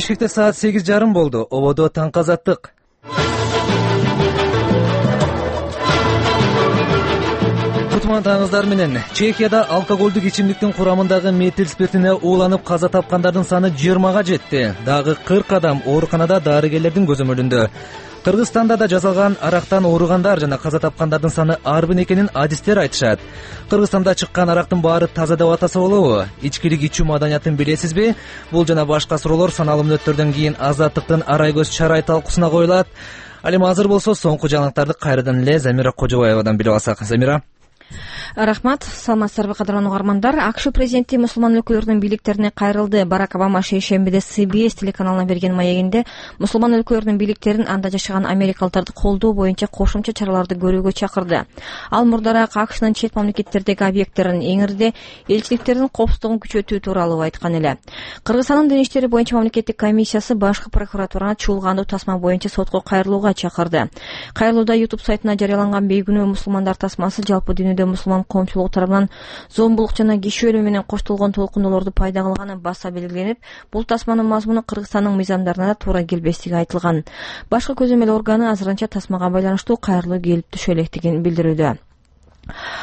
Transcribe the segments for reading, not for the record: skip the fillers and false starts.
Бишкекте саат 8:30 болду. Ободо таңкы азаттык. Кутман таңыздар менен. Чехияда алкоголдук ичимдиктин курамындагы метил спиртине ууланып каза тапкандардын саны 20га жетти. Дагы 40 адам ооруканада дарыгерлердин көзөмөлүндө. Кыргызстанда да жасалган арактан ооругандар жана каза тапкандардын саны арбын экенин адистер айтышат. Кыргызстанда чыккан арактын баары таза деп атаса болобу? Ичкилик ичүү маданиятын билесизби? Бул жана башка суроолор саналуу мүнөттөрдөн кийин Азаттыктын Арай көз чарай талкуусуна коюлат. Ал эми азыр болсо соңку жаңылыктарды кайрадан эле Замира Кожобаевадан билип алсак. Замира. Рахмат, саламатсыздарбы кадырлуу угармандар. АКШ президенти мусулман өлкөлөрдүн бийликтерине кайрылды. Барак Обама шейшембиде CBS телеканалына берген маегинде мусулман өлкөлөрдүн бийликтерин анда жашаган америкалыктарды колдоо боюнча кошумча чараларды көрүүгө чакырды. Ал мурдараак АКШнын чет мамлекеттердеги объекттерин эңирде элчиликтердин коопсуздугун күчөтүү тууралуу айткан эле. Кыргызстандын дин иштери боюнча мамлекеттик комиссиясы башкы прокуратураны чуулгандуу тасма боюнча сотко кайрылууга чакырды. Кайрылууда YouTube сайтына жарыяланган бейгүнөө мусулмандар тасмасы жалпы дүйнөдө мусулман коомчулугу тарабынан зомбулук жана киши өлүмү менен коштолгон толкундоолорду пайда кылганы баса белгиленип, бул тасманын мазмуну Кыргызстандын мыйзамдарына да туура келбестиги айтылган. Башкы көзөмөл органы азырынча тасмага байланыштуу кайрылуу келип түшө электигин билдирүүдө.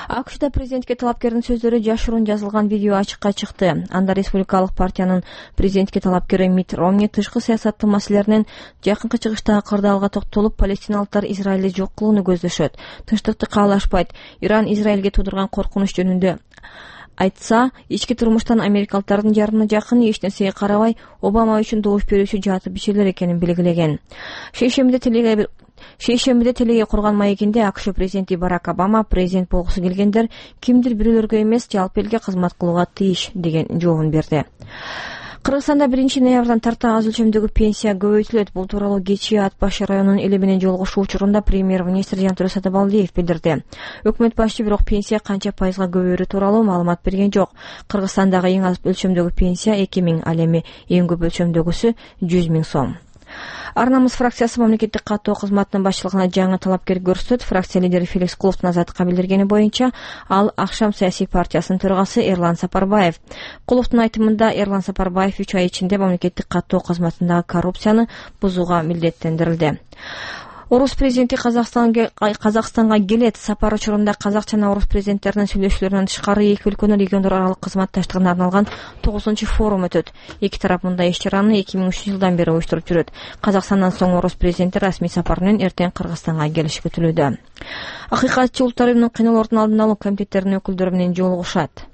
АКШда президентке талапкердин сөздөрү жашыруун жазылган видео ачыкка чыкты. Анда республикалык партиянын президентке талапкери Митт Ромни тышкы саясаттын маселелеринен жакынкы чыгыштагы кырдаалга токтолуп, палестиналыктар Израилди жок кылууну көздөшөт. Тынчтыкты каалашпайт. Иран Израилге туудурган коркунуч жөнүндө айтса, ички турмуштан америкалыктардын жарымына жакын эч нерсеге карабай Обама үчүн добуш берүүчү жатып бишелер экенин белгилеген. Шейшембиде телеге курган маегинде АКШ президенти Барак Обама президент болгусу келгендер кимдир бирөөлөргө эмес, жалпы элге кызмат кылууга тийиш деген жообун берди. Кыргызстанда 1-ноябрдан тарта аз өлчөмдөгү пенсия көбөйтүлөт. Бул тууралуу кечээ Ат Баш районунун эли менен жолугушуу учурунда премьер-министр Жантөрө Сатыбалдиев билдирди. Өкмөт башчы бирок пенсия канча пайызга көбөйөрү тууралуу маалымат берген жок. Кыргызстандагы эң аз өлчөмдөгү пенсия 2000, ал эми эң көп өлчөмдөгүсү 100 000 сом. Ар намыс фракциясы мамлекеттик каттоо кызматынын башчылыгына жаңы талапкер көрсөтөт. Фракция лидери Феликс Куловдун азаттыкка билдиргени боюнча, ал Акшам саясий партиясынын төрагасы Эрлан Сапарбаев. Куловдун айтымында Эрлан Сапарбаев 3 ай ичинде мамлекеттик каттоо кызматындагы коррупцияны бузууга милдеттендирилди. Орус президенти Казакстанга келет. Сапар учурунда казак жана орус президенттеринин сүйлөшүүлөрүнөн тышкары эки өлкөнүн региондор аралык кызматташтыгына арналган 9-форум өтөт. Эки тарап мындай иш-чараны 2003-жылдан бери уюштуруп жүрөт. Казакстандан соң орус президенти расмий сапар менен эртең Кыргызстанга келиши күтүлүүдө. Акыйкатчы улуттар уюмунун кыйноолордун алдын алуу комитеттеринин өкүлдөрү менен жолугушат.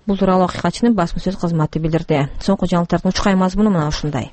Бул тууралуу акыйкатчынын басма сөз кызматы билдирди. Соңку жаңылыктардын учкай мазмуну мына ушундай.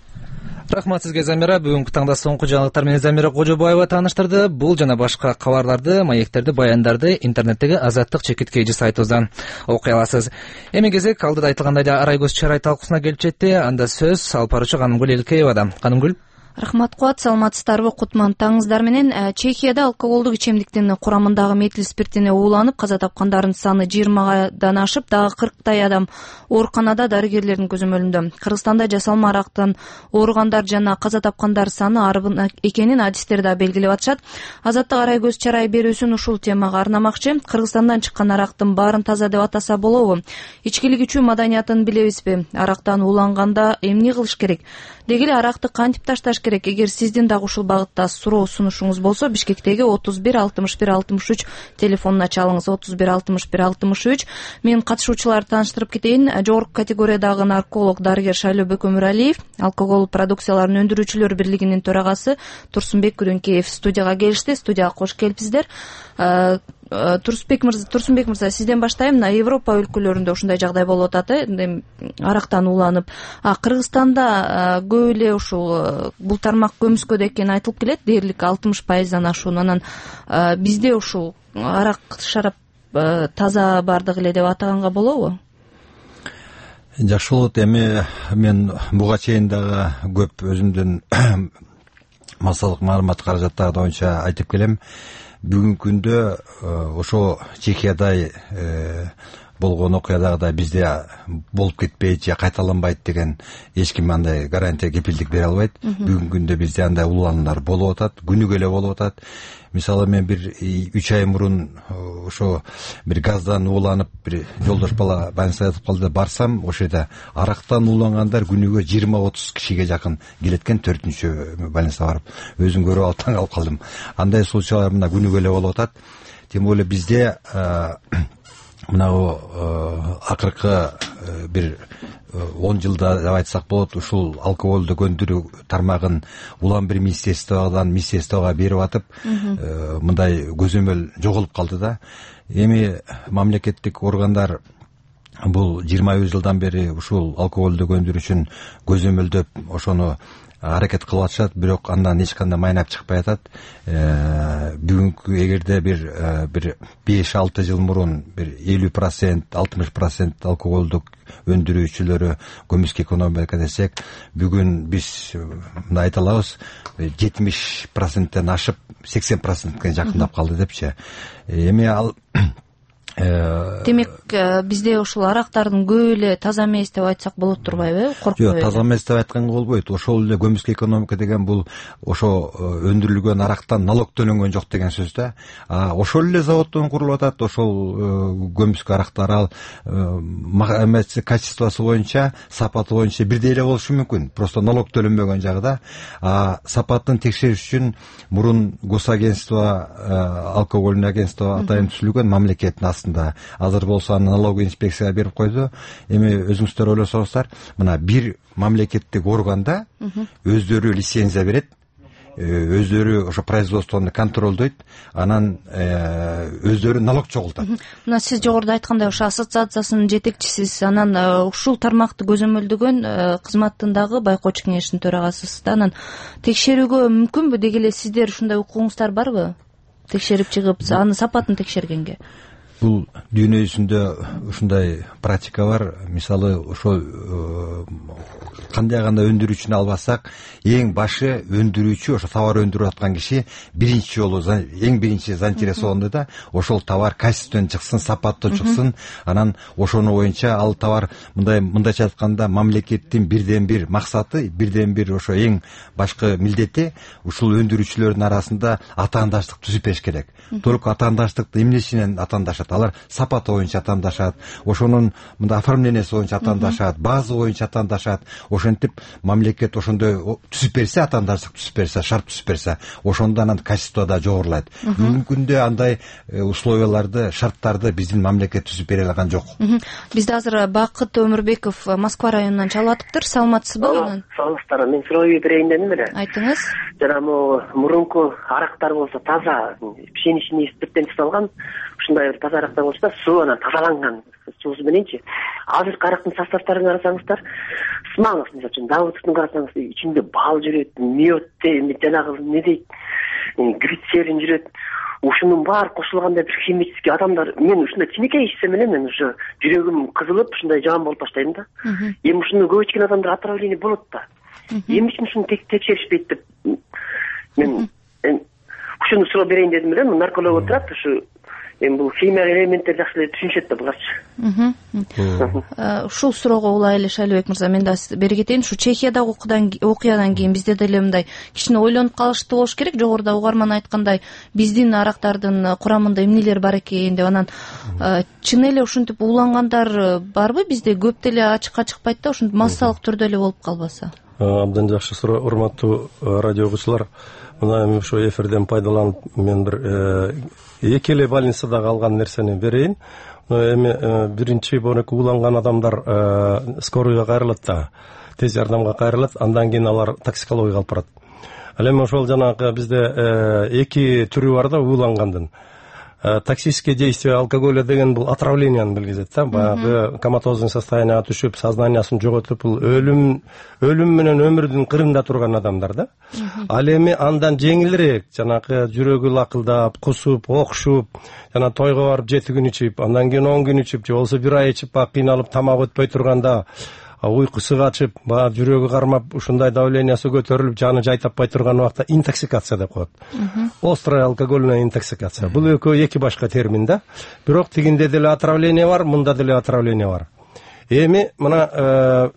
Рахмат сизге, Замира. Бүгүнкү таңда соңку жаңылыктар менен Замира Кожобаева тааныштырды. Бул жана башка кабарларды, маектерди, баяндарды интернеттеги Азаттык /KG сайтыбыздан окуй аласыз. Эми кезек алдыда айтылгандай эле Арай көз чарай талкуусуна келип жетти. Анда сөз алып баруучу Канымгүл Элкеевада. Канымгүл. Рахмат Куат, саламатсыздарбы? Кутман таңыздар менен. Чехияда алкоголдук ичемдиктин курамындагы метил спиртине ууланып каза тапкандардын саны 20дан ашып, дагы 40 адам ооруканада дарыгерлердин көзөмөлүндө. Кыргызстанда жасалма арактан ооругандар жана каза тапкандар саны арбын экенин адистер да белгилеп атышат. Азаттык Арай көз чарай берүүсүн ушул темага арнамакчы. Кыргызстандан чыккан арактын баарын таза деп атаса болобу? Ичкилик ичүү маданиятын билебизби? Арактан ууланганда эмне кылыш керек? Деги эле аракты кантип ташташ керек? Эгер сиздин дагы ушул багытта суроо сунушуңуз болсо, Бишкектеги 31 61 63 телефонуна чалыңыз. 31 61 63. Мен катышуучуларды тааныштырып кетейин. Жогорку категориядагы нарколог дарыгер Шайлоо Бөкөмүралиев, алкоголь продукцияларын өндүрүүчүлөр бирлигинин төрагасы Турсунбек Күрүнкеев студияга келишти. Студияга кош келипсиздер. Турсунбек мырза, сизден баштайм. Мына Европа өлкөлөрүндө ушундай жагдай болуп атат, арактан ууланып. Кыргызстанда көп эле ушул бул тармак көмүскөдө экени айтылып келет, дээрлик 60%дан ашуун. Анан бизде ушул арак, шарап таза бардыгы эле деп атаганга болобу? Жакшы болот. Эми мен буга чейин дагы көп өзүмдүн массалык маалымат каражаттары боюнча айтып келем. Бүгүнкү күндө ошо Чехияда болгон окуядагыдай бизде болуп кетпейт же кайталанбайт деген эч ким андай гарантия кепилдик бере албайт. Бүгүнкү күндө бизде андай улануулар болуп атат, күнүгө эле болуп атат. Мисалы мен бир 3 ай мурун ошо бир газдан ууланып бир жолдош бала больницага жатып калды, барсам ошол жерде арактан уулангандар күнүгө 20-30 кишиге жакын келет экен. 4-чү больницага барып өзүм көрүп алып таң калып калдым. Андай случайлар мына күнүгө эле болуп атат. Тем более бизде мынагу акыркы бир 10 жылда деп айтсак болот, ушул алкоголдук өндүрүү тармагын улам бир министерствого берип атып, мындай көзөмөл жоголуп калды да. Эми мамлекеттик органдар бул 20 жылдан бери ушул алкоголдук өндүрүү үчүн көзөмөлдөп ошону аракет кылып атышат, бирок андан эч кандай майнап чыкпай атат. Бүгүнкү эгерде бир 5-6 жыл мурун бир 50%, 60% алкоголдук өндүрүүчүлөрү көмүскө экономика десек, бүгүн биз мына айта алабыз 70%тен ашып 80%ке жакындап калды депчи. Эми ал демек бизде ушул арактардын көбү эле таза эмес деп айтсак болот турбайбы? Жок, таза эмес деп айтканга болбойт. Ошол эле көмүскө экономика деген бул ошо өндүрүлгөн арактан налог төлөнгөн жок деген сөз да. Ошол эле заводдон курулуп атат. Ошол көмүскө арактар ал качествосу боюнча, сапаты боюнча бирдей эле болушу мүмкүн. Просто налог төлөнбөгөн жагыда. Сапатын текшериш үчүн мурун госагентство, алкогольный агентство атайын түзүлгөн мамлекеттин астында. Азыр болсо налоговый инспекцияга берип койду. Эми өзүңүздөр ойлосоңуздар, мына бир мамлекеттик органда өздөрү лицензия берет, өздөрү ошо производствону контролдойт, анан өздөрү налог чогултат. Мына сиз жогоруда айткандай ошо ассоциациясынын жетекчисисиз, анан ушул тармакты көзөмөлдөгөн кызматтын дагы байкоочу кеңешинин төрагасысыз да. Анан текшерүүгө мүмкүнбү деги эле сиздер ушундай укугуңуздар барбы? Текшерип чыгып, аны сапатын текшергенге. Бул дүйнө жүзүндө ушундай практика бар. Мисалы ошо кандай өндүрүүчүнү албасак, эң башы өндүрүүчү, ошо товар өндүрүп аткан киши биринчи жолу эң биринчи заинтересованный да, ошол товар качественно чыксын, сапаттуу чыксын. Анан ошону боюнча ал товар мындайча айтканда мамлекеттин бирден бир максаты, бирден бир ошо эң башкы милдети ушул өндүрүүчүлөрдүн арасында атаандаштык түзүп бериш керек. Только атаандаштыкты эмнесинен атаандашат? Алар сапаты боюнча атаандашат, ошонун мындай оформленияси боюнча атаандашат, база боюнча атаандашат. Ошентип мамлекет ошондой түзүп берсе, атаандаштык түзүп берсе, шарт түзүп берсе, ошондо анан качество да жогорулайт. Бүгүнкү күндө андай условияларды, шарттарды биздин мамлекет түзүп бере алган жок. Бизде азыр Бакыт Өмүрбеков Москва районунан чалып атыптыр. Саламатсызбы? Саламатсыздар. Мен суроо берейин дедим эле. Айтыңыз. Жана мурунку арактар болсо таза пшеничный спирттен жасалган, ушундай бир таза арактар болсо да суу анан тазаланган суусу мененчи. Азыркы арактын составтарын карасаңыздар, сымаңыз, мисалы үчүн Давыдовдун карасаңыз, ичинде бал жүрөт, мед, жанагы эмне дейт, глицерин жүрөт. Ушунун баары кошулганда бир химический адамдар, мен ушундай тинекей ичсем эле мен уже жүрөгүм кызылып, ушундай жаман болуп баштайм да. Эми ушуну көп ичкен адамдар отравление болот да. Эмне үчүн ушуну текшеришпейт деп мен ушуну суроо берейин дедим эле. Нарколог отурат, ушу эми бул химия элементтер жакшы эле түшүнүшөт да буларчы. Ушул суроого улай эле Шайлыбек мырза, мен да бери кетейин. Ушу Чехиядагы окуядан кийин бизде деле мындай кичине ойлонуп калыштуу болуш керек. Жогоруда угарман айткандай, биздин арактардын курамында эмнелер бар экен деп. Анан чын эле ушинтип уулангандар барбы? Бизде көп деле ачыкка чыкпайт да, ушинтип массалык түрдө эле болуп калбаса. Абдан жакшы суроо, урматтуу радио угуучулар. Мына эми ушу эфирден пайдаланып мен бир эки эле больницада калган нерсени берейин. Эми биринчи боорукку ууланган адамдар скорыйга кайрылат да, тез жардамга кайрылат, андан кийин алар токсикологияга алып барат. Ал эми ошол жанагы бизде эки түрү бар да уулангандын. Токсическое действие алкоголя деген бул отравленияны билгизет да. Баягы коматозный состоянияга түшүп, сознаниясын жоготуп, бул өлүм менен өмүрдүн кырында турган адамдар да. Ал эми андан жеңилирээк, жанагы жүрөгү лакылдап, кусуп, окшуп, жана тойго барып 7 күн ичип, андан кийин 10 күн ичип, же болбосо 1 ай ичип, кыйналып тамак өтпөй турганда, уйкусу качып, баягы жүрөгү кармап, ушундай давлениясы көтөрүлүп, жаны жай таппай турган убакта интоксикация деп коет. Острая алкогольная интоксикация. Бул экөө эки башка термин да. Бирок тигинде деле отравление бар, мында деле отравление бар. Эми мына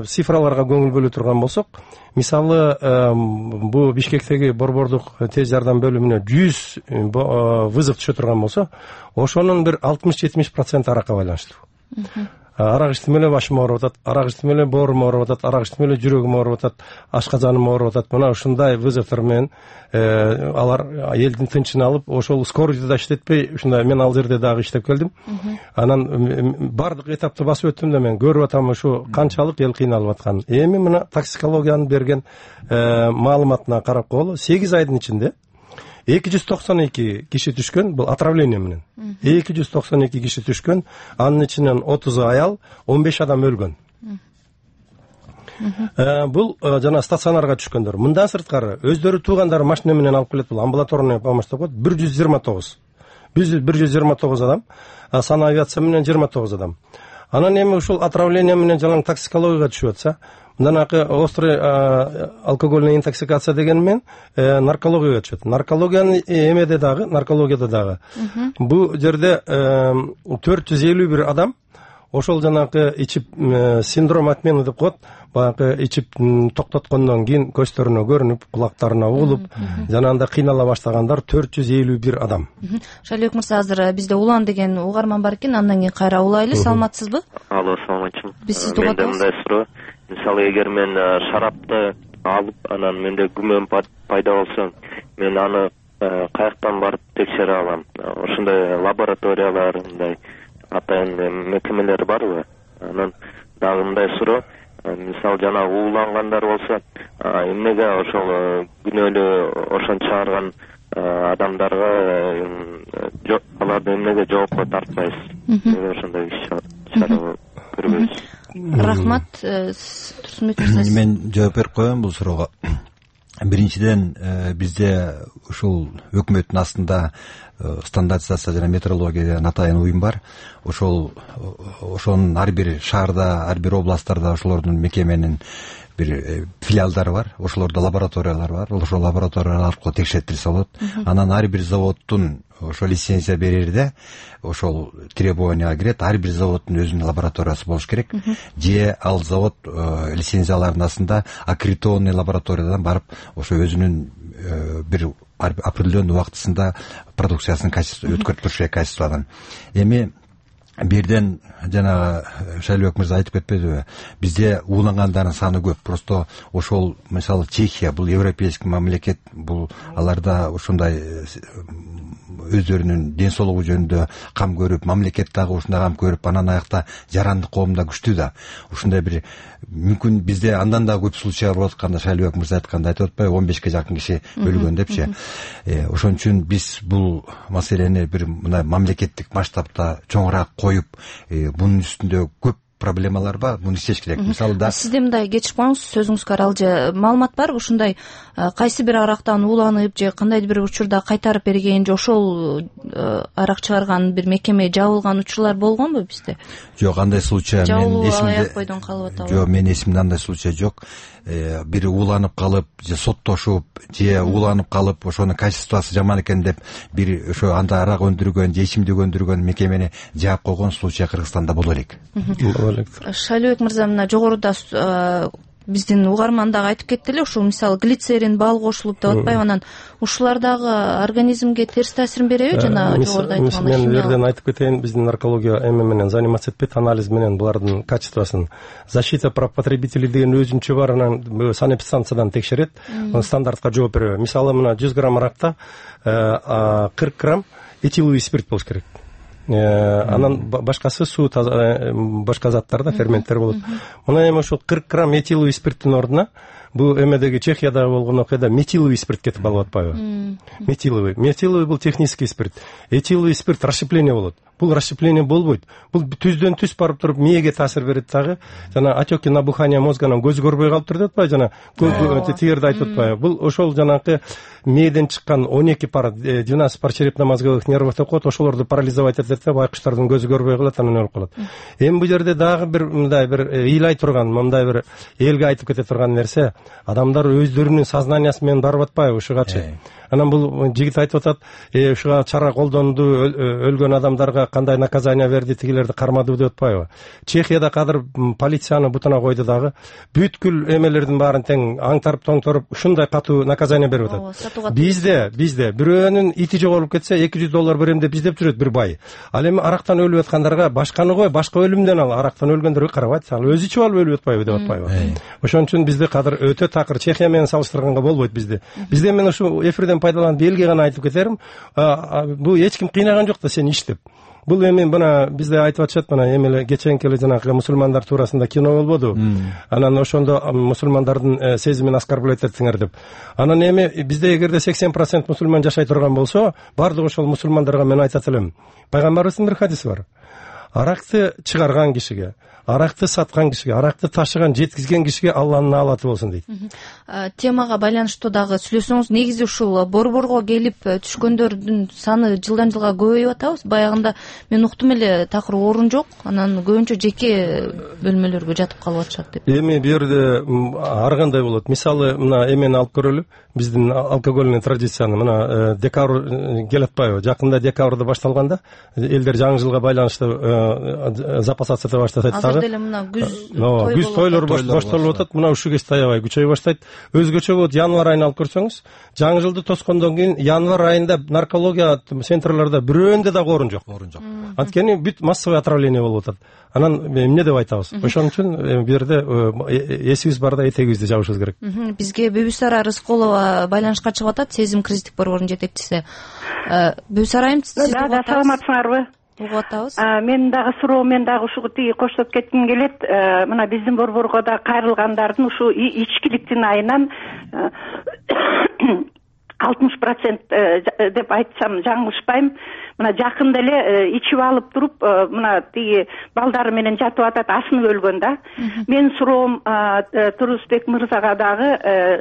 цифраларга көңүл бөлө турган болсок, мисалы бу Бишкектеги борбордук тез жардам бөлүмүнө 100 вызов түшө турган болсо, ошонун бир 60-70% аракка байланыштуу. Арак ичтим эле башым ооруп атат, арак ичтим эле боорум ооруп атат, арак ичтим эле жүрөгүм ооруп атат, ашказаным ооруп атат. Мына ушундай вызовдор менен алар элдин тынчын алып, ошол скорыйды да иштетпей, ушундай мен ал жерде дагы иштеп келдим. Анан бардык этапты басып өттүм да мен көрүп атам ушу канчалык эл кыйналып атканын. Эми мына токсикологиянын берген маалыматына карап коелу, 8 айдын ичинде 292 киши түшкөн, бул отравление менен. 292 киши түшкөн, анын ичинен 30 аял, 15 адам өлгөн. Бул жана стационарга түшкөндөр. Мындан сырткары өздөрү туугандары машина менен алып келет, бул амбулаторный помощь деп коет. 129. 129 адам, санавиация менен 29 адам. Анан эми ушул отравление менен жалаң токсикологияга түшүп атса, мындан акы острый алкогольная интоксикация деген мен наркологияга түшөт. Наркологиянын наркологияда дагы. Бу жерде 451 адам ошол жанагы ичип синдром отмены деп коет. Баягы ичип токтоткондон кийин көздөрүнө көрүнүп, кулактарына угулуп, жана анда кыйнала баштагандар 451 адам. Шалибек мырза, азыр бизде Улан деген угарман бар экен, андан кийин кайра улайлы. Саламатсызбы? Алло, саламатчымын. Биз сизди угатабыз. Менде мындай суроо. Мисалы, эгер мен шарапты алып, анан менде күмөн пайда болсо, мен аны каяктан барып текшере алам? Ошондой лабораториялар, мындай атайын мекемелер барбы? Анан дагы мындай суроо. Мисалы, жана уулангандар болсо, эмнеге ошол күнөөлүү ошон чыгарган адамдарга аларды эмнеге жоопко тартпайсыз? Ошондой чара көрбөйсүз? Рахмат. Турсунбек мырза, мен жооп берип коеюн бул суроого. Биринчиден, бизде ушул өкмөттүн астында стандартизация жана метрология деген атайын уюм бар. Ошонун ар бир шаарда, ар бир областтарда ошолордун мекеменин бир филиалдары бар, ошолордо лабораториялар бар. Ошол лабораториялар аркылуу текшертилсе болот. Анан ар бир заводдун ошо лицензия берерде ошол требованияга кирет, ар бир заводдун өзүнүн лабораториясы болуш керек. Же ал завод лицензияларынын астында аккредитованный лабораториядан барып ошо өзүнүн бир определенный убактысында продукциясын өткөрүп туруш керек качестводан. Эми бирден жанагы Шайлыбек мырза айтып кетпедиби, бизде уулангандардын саны көп. Просто ошол мисалы Чехия, бул европейский мамлекет, бул аларда ошондой өздөрүнүн ден соолугу жөнүндө кам көрүп, мамлекет дагы ушундай кам көрүп, анан аякта жарандык коом да күчтүү да. Ушундай бир мүмкүн бизде андан да көп случай болуп атканда, Шайлыбек мырза айткандай айтып атпайбы, 15ке жакын киши өлгөн депчи. Ошон үчүн биз бул маселени бир мындай мамлекеттик масштабта чоңураак коюп, бунун үстүндө көп проблемалар бар, муну иштеш керек. Мисалы да сизде мындай кечип коюңуз, сөзүңүзгө аралжы маалымат барбы? Ушундай кайсы бир арактан ууланып же кандайдыр бир учурда кайтарып берген, же ошол арак чыгарган бир мекеме жабылган учурлар болгонбу бизде? Жок, андай случай мен эсимде калып атабы? Жок, менин эсимде андай случай жок. Бири ууланып калып, же соттошуп, же ууланып калып, ошонун качествосы жаман экен деп бир ошо анда арак өндүргөн же ичимдик өндүргөн мекемени жаап койгон случай Кыргызстанда боло элек. Шайлыбек мырза, мына жогоруда биздин угарман дагы айтып кетти эле, ушул мисалы глицерин, бал кошулуп деп атпайбы, анан ушулар дагы организмге терс таасирин береби? Жана жогоруда айткандай мен жерден айтып кетейин, биздин наркология эме менен заниматься этпейт, анализ менен булардын качествосын. Защита прав потребителей деген өзүнчө бар, анан санэпидстанциядан текшерет, стандартка жооп береби. Мисалы, мына 100 грамм аракта 40 грамм этиловый спирт болуш керек. Анан башкасы суу, башка заттарда ферменттер болот. Мына эми ошол 40 грамм этиловый спирттин ордуна бул эмедеги Чехиядагы болгон окуяда метиловый спирт кетип калып атпайбы? Метиловый бул технический спирт. Этиловый спирт расщепление болот. Бул расщепление болбойт. Бул түздөн түз барып туруп мээге таасир берет дагы. Жана отеки набухания мозганан көз көрбөй калыптыр деп атпайбы? Жана тигерди айтып атпайбы? Бул ошол жанагы мээден чыккан 12 пар 12 пар черепно-мозговых нервов деп коет, ошолорду парализовать этет деп байкуштардын көзү көрбөй калат, анан өлүп калат. Эми бул жерде дагы бир мындай бир ыйлай турган, мындай бир элге айтып кете турган нерсе, адамдар өздөрүнүн сознаниясы менен барып атпайбы ушугачы. Анан бул жигит айтып атат, ушуга чара колдонду, өлгөн адамдарга кандай наказание берди, тигилерди кармады деп атпайбы? Чехияда кадыр полицияны бутуна койду дагы, бүткүл эмелердин баарын тең аңтарып тоңторуп ушундай катуу наказание берип атат. Бизде бирөөнүн ити жоголуп кетсе $200 берем деп издеп жүрөт бир бай. Ал эми арактан өлүп аткандарга башканы кой, башка өлүмдөн ал, арактан өлгөндөргө карабайт, ал өзү ичип алып өлүп атпайбы деп атпайбы? Ошон үчүн бизде кадыр өтө такыр, Чехия менен салыштырганга болбойт бизде. Бизде мен ушу эфирден пайдаланып элге гана айтып кетерим, бул эч ким кыйнаган жок да сени иштеп. Бул эми мына бизде айтып атышат, мына эми кеченки эле жанагы мусулмандар туурасында кино болбоду? Анан ошондо мусулмандардын сезимин оскорблять этсиңер деп. Анан эми бизде эгерде 80% мусулман жашай турган болсо, бардык ошол мусулмандарга мен айтат элем. Пайгамбарыбыздын бир хадиси бар. Аракты чыгарган кишиге, аракты саткан кишиге, аракты ташыган, жеткизген кишиге Алланын наалаты болсун дейт. Темага байланыштуу дагы сүйлөсөңүз, негизи ушул борборго келип түшкөндөрдүн саны жылдан жылга көбөйүп атабыз. Баягында мен уктум эле такыр орун жок, анан көбүнчө жеке бөлмөлөргө жатып калып атышат деп. Эми бу жерде ар кандай болот. Мисалы, мына эмени алып көрөлү. Биздин алкогольный традицияны мына декабрь келип атпайбы? Жакында декабрда башталганда элдер жаңы жылга байланыштуу запасаться эте башташат. Азыр деле мына күз тойлор башталып атат. Мына ушу кез таябай күчөй баштайт. Өзгөчө болот январь айын алып көрсөңүз, жаңы жылды тоскондон кийин январь айында наркология центрларда бирөөндө дагы орун жок. Анткени бүт массовый отравление болуп атат. Анан эмне деп айтабыз? Ошон үчүн бу жерде эсибиз барда этегибизди жабышыбыз керек. Бизге Бүбүсара Рыскулова байланышка чыгып атат, Сезим кризистик борборунун жетекчиси. Бүбүсара айым, сиз саламатсыңарбы? Угуп атабыз. Мен дагы суроо, мен дагы ушуга тиги коштоп кетким келет. Мына биздин борборго да кайрылгандардын ушу ичкиликтин айынан 60% деп айтсам жаңылышпайм. Мына жакында эле ичип алып туруп, мына тиги балдары менен жатып атат, асынып өлгөн да. Мен суроом Турусбек мырзага дагы,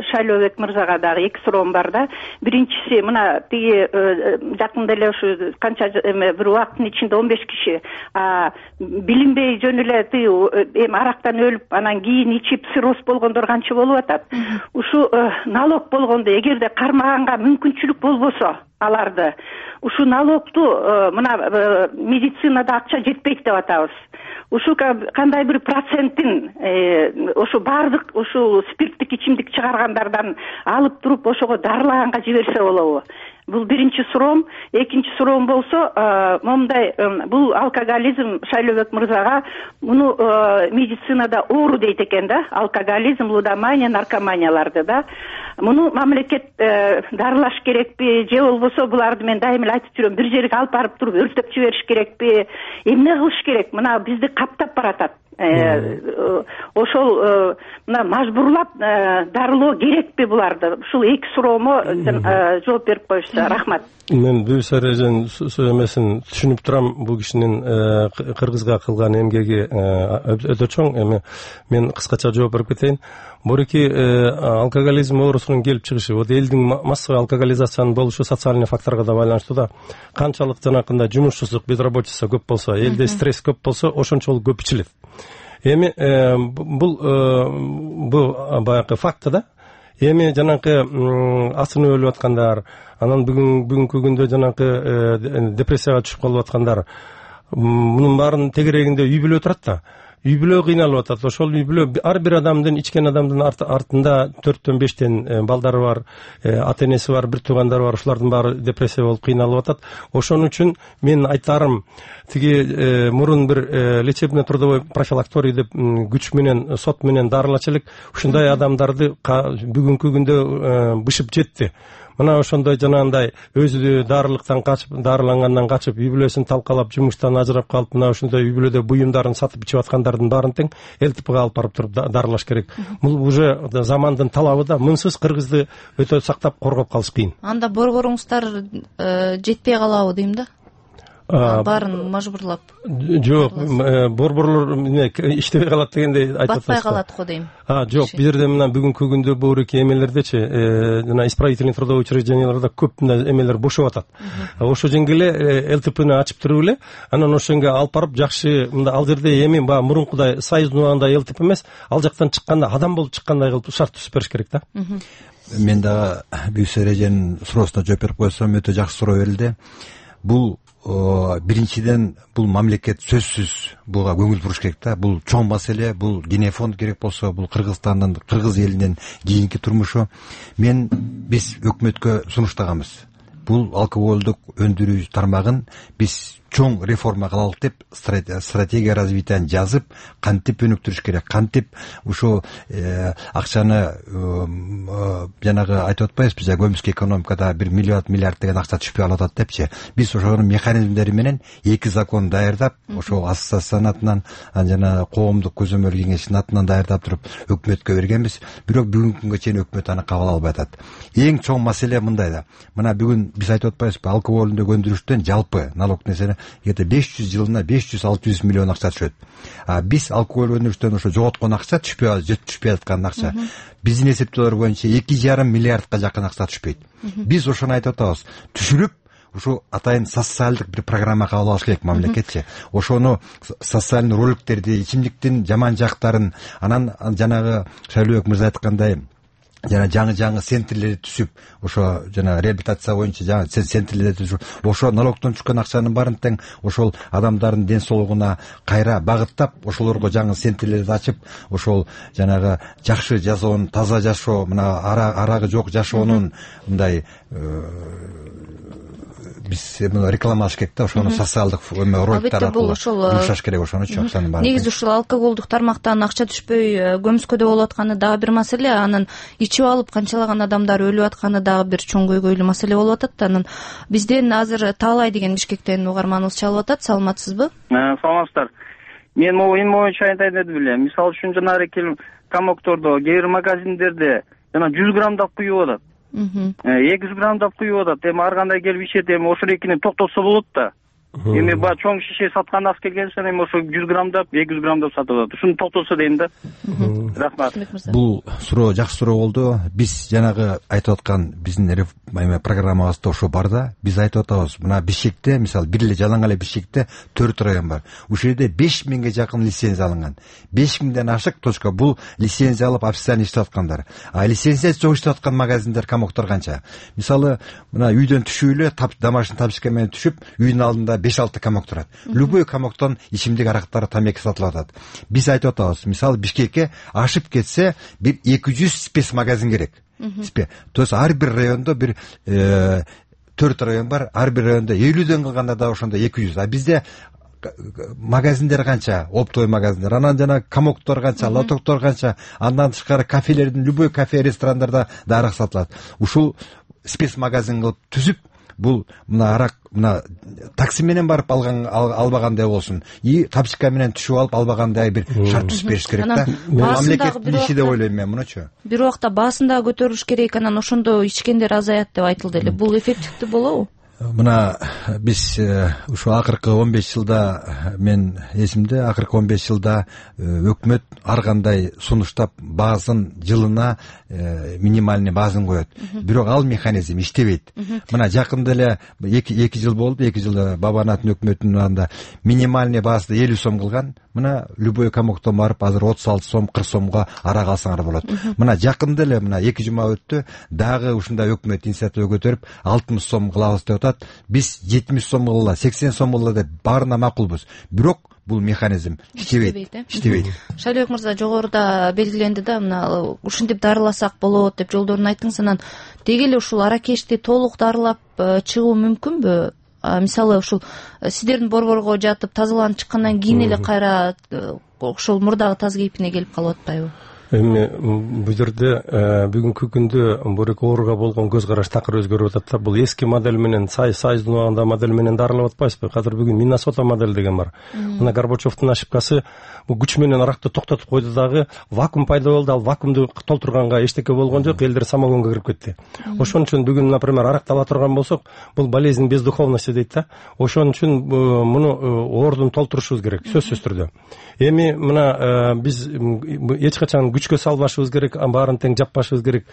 Шайлообек мырзага дагы эки суроом бар да. Биринчиси, мына тиги жакында эле ушу канча бир убакыттын ичинде 15 киши билинбей жөн эле тиги арактан өлүп, анан кийин ичип цирроз болгондор канча болуп атат. Ушу налог болгондо, эгерде кармаганга мүмкүнчүлүк болбосо аларды, ушу налогту мына медицинада акча жетпейт деп атабыз. Ушу кандай бир процентин ушу бардык ушу спирттик ичимдик чыгаргандардан алып туруп ошого дарылаганга жиберсе болобу? Бул биринчи суроом. Экинчи суроом болсо, момундай бул алкоголизм Шайлообек мырзага муну медицинада оору дейт экен да, алкоголизм, лудомания, наркоманияларды да. Муну мамлекет дарылаш керекпи, же болбосо буларды мен дайым эле айтып жүрөм, бир жерге алып барып туруп өртөп жибериш керекпи, эмне кылыш керек? Мына бизди каптап баратат. Ошол мына мажбурлап дарылоо керекпи буларды? Ушул эки суроомо жооп берип коюшса, рахмат. Мен Бүбүсара эженин эмесин түшүнүп турам. Бул кишинин кыргызга кылган эмгеги өтө чоң. Эми мен кыскача жооп берип кетейин. Буруки алкоголизм оорусунун келип чыгышы, вот элдин массовый алкоголизациянын болушу социальный факторго да байланыштуу да. Канчалык жанакындай жумушсуздук, безработица көп болсо, элде стресс көп болсо, ошончолук көп ичилет. Эми бул баягы факт да. Эми жанакы асынып өлүп аткандар, анан бүгүнкү күндө жанакы депрессияга түшүп калып аткандар, мунун баарынын тегерегинде үй бүлө турат да. Үй бүлө кыйналып атат. Ошол үй бүлө ар бир адамдын, ичкен адамдын артында 4-5 балдары бар, ата энеси бар, бир туугандары бар. Ушулардын баары депрессия болуп кыйналып атат. Ошон үчүн мен айтарым, тиги мурун бир лечебно трудовой профилакторий деп күч менен, сот менен дарылачылык ушундай адамдарды бүгүнкү күндө бышып жетти. мына ошондой жанагындай өзү дарылыктан качып, дарылангандан качып, үй бүлөсүн талкалап, жумуштан ажырап калып, мына ошондой үй бүлөдө буюмдарын сатып ичип аткандардын баарын тең ЛТПга алып барып туруп дарылаш керек. Бул уже замандын талабы да, мынсыз кыргызды өтө сактап коргоп калыш кыйын. Анда борборуңуздар жетпей калабы дейм да? Баарын мажбурлап. Жок, борборлор иштебей калат дегенде айтып атасыз. Батпай калат го дейм. Жок, бул жерде мына бүгүнкү күндө буурки эмелердечи, жана исправительный трудовой учрежденияларда көп мындай эмелер бошоп атат. Ошо жеңге эле ЛТПны ачып туруп эле, анан ошонго алып барып жакшы, мында ал жерде эми баягы мурункудай союздун убагындай ЛТП эмес, ал жактан чыкканда адам болуп чыккандай кылып шарт түзүп бериш керек да. Мен дагы Бүйүксү эреженин суроосуна жооп берип койсом, өтө жакшы суроо берилди. Бул биринчиден бул мамлекет сөзсүз буга көңүл буруш керек да. Бул чоң маселе, бул генофонд керек болсо, бул Кыргызстандын, кыргыз элинин кийинки турмушу. Биз өкмөткө сунуштаганбыз. Бул алкоголдук өндүрүү тармагын биз чоң реформа кылалык деп стратегия развитияны жазып, кантип өнүктүрүш керек, кантип ушул акчаны жанагы айтып атпайбызбы, көмүскө экономикада 1 миллиард деген акча түшпөй калат депчи. Биз ошонун механизмдери менен 2 закон даярдап, ошол ассоциациянын атынан, жана коомдук көзөмөл кеңештин атынан даярдап туруп өкмөткө бергенбиз. Бирок бүгүнкү күнгө чейин өкмөт аны кабыл албай атат. Эң чоң маселе мындай да. Мына бүгүн биз айтып атпайбызбы, алкоголдук өндүрүштөн жалпы налог несени где-то 500 жылына 500-600 миллион акча түшөт. Биз алкоголь өндүрүштөн ошо жоготкон акча түшпөй аткан акча. Биздин эсептөөлөр боюнча 2,5 миллиардка жакын акча түшпөйт. Биз ошону айтып атабыз. Түшүрүп, ушу атайын социалдык бир программа кабыл алыш керек мамлекетчи. Ошону социальный роликтерди, ичимдиктин жаман жактарын, анан жанагы Шайлообек мырза айткандай, жана жаңы центрлерди түзүп, ошо жана реабилитация боюнча жаңы центрлерди түзүп, ошо налогтон түшкөн акчанын баарын тең ошол адамдардын ден соолугуна кайра багыттап, ошолорго жаңы центрлерди ачып, ошол жанагы жакшы жашоонун, таза жашоо, мына арагы жок жашоонун мындай биз рекламалаш керек да, ошону социалдык роликтер аркылуу жумшаш керек ошонучу акчанын баарын. Негизи ушул алкоголдук тармактан акча түшпөй көмүскөдө болуп атканы дагы бир маселе, анан ичип алып канчалаган адамдар өлүп атканы дагы бир чоң көйгөйлүү маселе болуп атат. Анан бизден азыр Таалай деген Бишкектен угарманыбыз чалып атат. Саламатсызбы? Саламатсыздар. Мен могу эми боюнча айтайын дедим эле. Мисалы үчүн жанагы комоктордо, кээ бир магазиндерде жана 100 граммдап куюп атат. 200 граммдап куюп атат. Эми ар кандай келип ичет, эми ошол экини токтотсо болот да. Эми баягы чоң шише саткан аз келгенсен, эми ошо 100 граммдап, 200 граммдап сатып атат. Ушуну токтотсо дейм да. Рахмат. Бул суроо жакшы суроо болду. Биз жанагы айтып аткан биздин программабызда ошо бар да. Биз айтып атабыз, мына Бишкекте, мисалы, бир эле Жалаң эле Бишкекте 4 район бар. Ушул жерде 5000ге жакын лицензия алынган. 5000ден ашык точка бул лицензия алып официально иштеп аткандар. Лицензия жок иштеп аткан магазиндер, комоктор канча? Мисалы, мына үйдөн түшүп эле домашний тапочка менен түшүп, үйдүн алдында 5-6 комок турат. Любой комоктон ичимдик арактар, тамеки сатылып атат. Биз айтып атабыз, мисалы, Бишкекке ашып кетсе бир 200 спецмагазин керек. То есть ар бир райондо бир 4 район бар, ар бир райондо 50дөн кылганда да ошондо 200. А бизде магазиндер канча, оптовый магазиндер, анан жана комоктор канча, лотоктор канча, андан тышкары кафелердин, любой кафе, ресторандарда да арак сатылат. Ушул спецмагазин кылып түзүп, бул мына арак, мына такси менен барып албагандай болсун, и тапчика менен түшүп алып албагандай бир шарт түзүп бериш керек да. Мамлекеттин иши деп ойлойм мен мунучу. Бир убакта баасын дагы көтөрүш керек, анан ошондо ичкендер азаят деп айтылды эле. Бул эффективдүү болобу? Мына биз ушул акыркы 15 жылда, мен эсимде, акыркы 15 жылда өкмөт ар кандай сунуштап баасын жылына минимальный баазын коет. Бирок ал механизм иштебейт. Мына жакында эле 2 жыл болду, 2 жылда Бабанаттын өкмөтүнүн анда минимальный баазды 50 сом кылган. Мына любой комоктон барып азыр 36 сом, 40 сомго арак алсаңар болот. Мына жакында эле мына 2 жума өттү, дагы ушундай өкмөт инициатива көтөрүп 60 сом кылабыз деп атат. Биз 70 сом кылалы, 80 сом кылалы деп баарына макулбуз. Бирок бул механизм иштебейт. Шайлообек мырза, жогоруда белгиленди да, мына ушинтип дарыласак болот деп жолдорун айттыңыз. Анан деги эле ушул аракечти толук дарылап чыгуу мүмкүнбү? Мисалы, ушул сиздердин борборго жатып тазаланып чыккандан кийин эле кайра ошол мурдагы таз кейпине келип калып атпайбы? Эми бул жерде бүгүнкү күндө бул ооруга болгон көз караш такыр өзгөрүп атат да. Бул эски модель менен Союздун модель менен дарылап атпайсызбы? Азыр бүгүн Миннесота модель деген бар. Мына Горбачевдун ошибкасы бул күч менен аракты токтотуп койду дагы вакуум пайда болду. Ал вакуумду толтурганга эчтеке болгон жок, элдер самогонго кирип кетти. Ошон үчүн бүгүн, например, аракты ала турган болсок, бул болезнь без духовности дейт да. Ошон үчүн муну оордун толтурушубуз керек, сөзсүз түрдө. Эми мына биз эч качан күчкө салбашыбыз керек, баарын тең жаппашыбыз керек.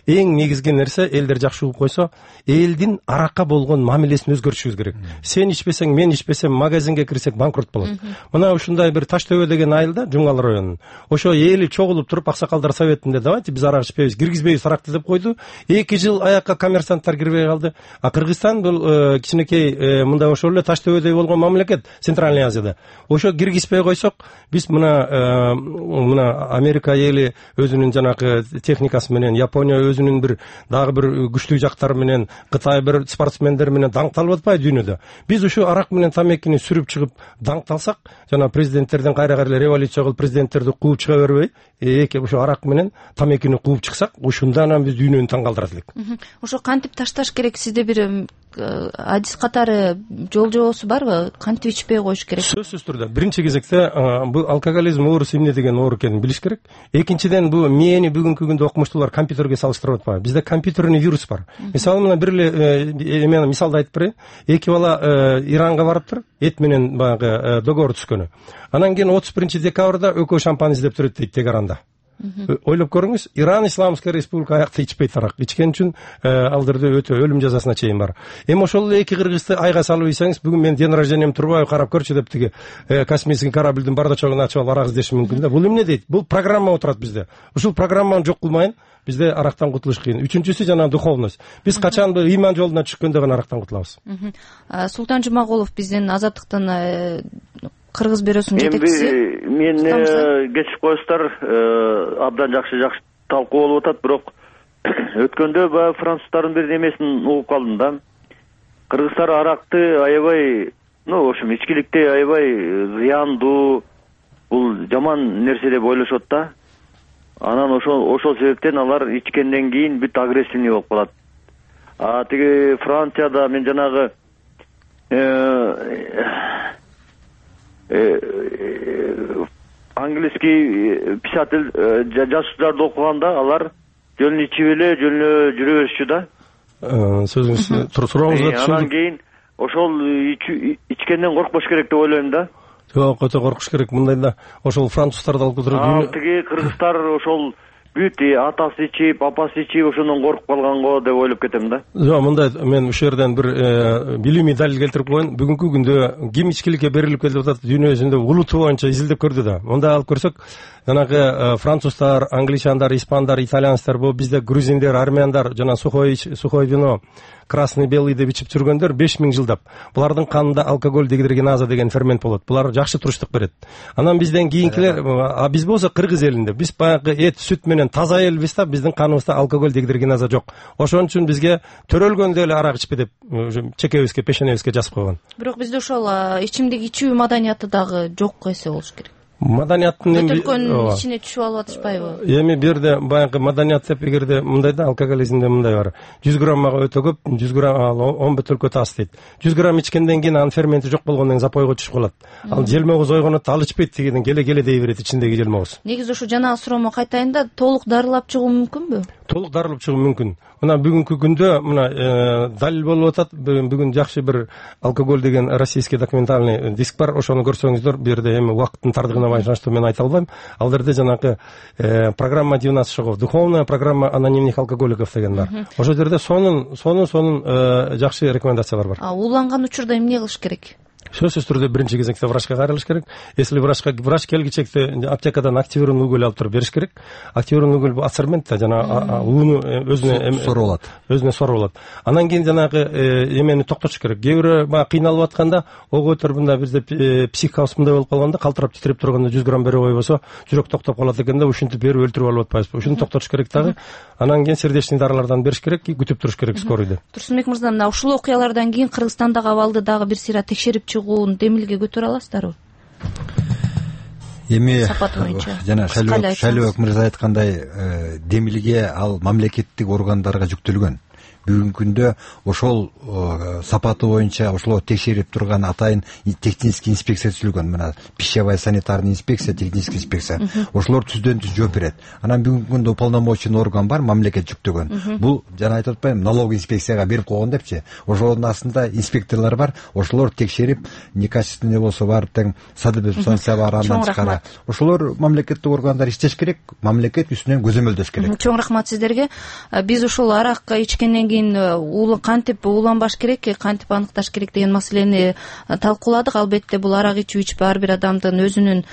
Эң негизги нерсе, элдер жакшы угуп койсо, элдин аракка болгон мамилесин өзгөртүшүбүз керек. Сен ичпесең, мен ичпесем, магазинге кирсек банкрот болот. Мына ушундай бир Таш төбө деген айылда, Жумгал районунун, ошо эли чогулуп туруп, аксакалдар советинде давайте биз арак ичпейбиз, киргизбейбиз аракты деп койду. 2 жыл аякка коммерсанттар кирбей калды. А Кыргызстан бул кичинекей мындай ошол эле Таш төбөдөй болгон мамлекет Центральный Азияда. Ошо киргизбей койсок, биз мына Америка эли өзүнүн жанагы техникасы менен, Япония өзүнүн дагы бир күчтүү жактары менен, Кытай бир спортсмендер менен даңкталып атпайбы дүйнөдө? Биз ушу арак менен тамекини сүрүп чыгып даңкталсак, жана президенттердин кайра революция кылып президенттерди кууп чыга бербей, ушу арак менен тамекини кууп чыксак, ушунда анан биз дүйнөнү таң калтырат элек. Ошо кантип ташташ керек? Сизде бир адис катары жол жобосу барбы? Кантип ичпей коюш керек? Сөзсүз түрдө биринчи кезекте бул алкоголизм оорусу эмне деген оору экенин билиш керек. Экинчиден, бул мээни бүгүнкү күндө окумуштуулар компьютерге салыштырып атпайбы. Бизде компьютерный вирус бар. Мисалы мына бир эле мен мисалды айтып берейин. 2 бала Иранга барыптыр, эт менен баягы договор түзгөнү. Анан кийин 31-декабрда экөө шампань издеп турат дейт Тегеранда. Ойлоп көрүңүз, Иран Исламская республика аякта ичпейт арак. Ичкен үчүн ал жерде өтө өлүм жазасына чейин бар. Эми ошол эле 2 кыргызды айга салып ийсеңиз, бүгүн мен день рождением турбай карап көрчү деп тиги космический корабльдин бардачогун ачып алып арак издеши мүмкүн да. Бул эмне дейт? Бул программа отурат бизде. Ушул программаны жок кылмайын, бизде арактан кутулуш кыйын. Үчүнчүсү жана духовность. Биз качан ыйман жолуна түшкөндө гана арактан кутулабыз. Султан Жумагулов, биздин Азаттыктын Кыргыз бюросунун жетекчиси. Мен кечип коесуздар, абдан жакшы талкуу болуп атат, бирок өткөндө баягы француздардын бир немесин угуп калдым да. Кыргыздар аракты аябай, ошо ичкиликти аябай зыяндуу, бул жаман нерсе деп ойлошот да. Анан ошол себептен алар ичкенден кийин бүт агрессивный болуп калат. Тиги Францияда мен жанагы английский писатель жазуучуларды окуганда алар жөн ичип эле жөн жүрө беришчү да. Сөзүңүз сурооңузду түшүндүк. Анан кийин ошол ичкенден коркпош керек деп ойлойм да. Жок, өтө коркуш керек. Мындай да, ошол француздарды алып келип тиги кыргыздар ошол бүт атасы ичип, апасы ичип, ошондон коркуп калганго деп ойлоп кетем да. Жок, мындай мен ушул жерден бир билимий далил келтирип коеюн. Бүгүнкү күндө ким ичкиликке берилип келип атат дүйнө жүзүндө улуту боюнча изилдеп көрдү да. Мындай алып көрсөк, жанагы француздар, англичандар, испандар, итальянецтер, бул бизде грузиндер, армяндар, жана сухой вино, красный белый деп ичип жүргөндөр 5000 жылдап. Булардын канында алкоголь дегидрогеназа деген фермент болот. Булар жакшы туруштук берет. Анан бизден кийинкилер, биз болсо Кыргыз элинде, биз баягы эт, сүт менен таза элбиз да, биздин каныбызда алкоголь дегидрогеназа жок. Ошон үчүн бизге төрөлгөндө эле арак ичпе деп чекебизге, пешенебизге жазып койгон. Бирок бизде ошол ичимдик ичүү маданияты дагы жок эсе болуш керек. Маданияттын көтөркөнүн ичине түшүп алып атышпайбы? Эми бир жерде баягы маданият деп эгерде мындай да, алкоголизмде мындай бар. 100 граммага өтө көп, 100 грамм 10 бөтөлкө тас дейт. 100 грамм ичкенден кийин анын ферменти жок болгондон кийин запойго түшүп калат. Ал желмогуз ойгонот, ал ичпейт дегенден келе дей берет ичиндеги желмогуз. Негизи ушу жанагы суроомо кайтайын да, толук дарылап чыгуу мүмкүнбү? Толук дарылап чыгуу мүмкүн. Мына бүгүнкү күндө мына далил болуп атат. Бүгүн жакшы бир алкоголь деген российский документальный диск бар. Ошону көрсөңүздөр, бу жерде эми убакыттын тардыгына байланыштуу мен айта албайм. Ал жерде жанагы программа 12 шагов, духовная программа анонимных алкоголиков деген бар. Ошол жерде сонун жакшы рекомендациялар бар. Ууланган учурда эмне кылыш керек? Сөзсүз түрдө биринчи кезекте врачка кайрылыш керек. Если врач келгичекте аптекадан активированный уголь алып туруп бериш керек. Активированный уголь бул ацермент да, жана ууну өзүнө соруп алат. Анан кийин жанагы эмени токтотуш керек. Кээ бирөө баягы кыйналып атканда, ого өтөр мында бизде психикабызмындай болуп калганда, калтырап титиреп турганда 100 грамм бере койбосо, жүрөк токтоп калат экен да, ушинтип берип өлтүрүп алып атпайбызбы? Ушуну токтотуш керек дагы. Анан кийин сердечный дарылардан бериш керек, күтүп туруш керек скорыйды. Турсунбек мырза, мына ушул окуялардан кийин Кыргызстандагы абалды дагы бир сыйра текшерип чыгуун демилге көтөрө аласыздарбы? эми сапаты боюнча жана Шайлообек мырза айткандай демилге ал мамлекеттик органдарга жүктөлгөн. Бүгүнкү күндө ошол сапаты боюнча ошолорду текшерип турган атайын технический инспекция түзүлгөн. Мына пищевая санитарный инспекция, технический инспекция ошолор түздөн түз жооп берет. Анан бүгүнкү күндө уполномоченный орган бар, мамлекет жүктөгөн. Бул жана айтып атпаймынбы, налоговый инспекцияга берип койгон депчи. Ошолордун астында инспекторлор бар, ошолор текшерип, некачественный болсо барып тең садыбепстанция бар, андан тышкары ошолор мамлекеттик органдар иштеш керек, мамлекет үстүнөн көзөмөлдөш керек. Чоң рахмат сиздерге. Биз ушул арак ичкенден кийин кантип ууланбаш керек, кантип аныкташ керек деген маселени талкууладык. Албетте бул арак ичүү ар бир адамдын өзүнүн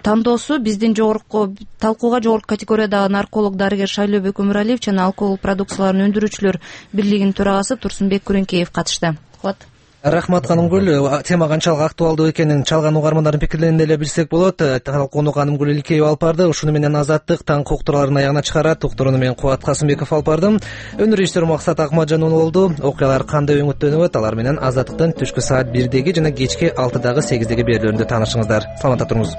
тандоосу. Биздин жогорку талкууга жогорку категориядагы нарколог дарыгер Шайлообек Өмүралиев жана алкоголь продукцияларын өндүрүүчүлөр бирлигинин төрагасы Турсунбек Күрөңкеев катышты. Рахмат Канымгүл. Тема канчалык актуалдуу экенин чалган угармандардын пикирлерин деле билсек болот. Талкууну Канымгүл Илкеева алып барды. Ушуну менен Азаттык таң уктурууларын аягына чыгарат. Уктурууну мен Кубат Касымбеков алып бардым. Өнөр режиссер Максат Акматжанов болду. Окуялар кандай өңүттөнүп, алар менен Азаттыктын түшкү саат 1-деги жана кечки 6-дагы 8-деги берүүлөрүндө таанышыңыздар. Саламатта туруңуз.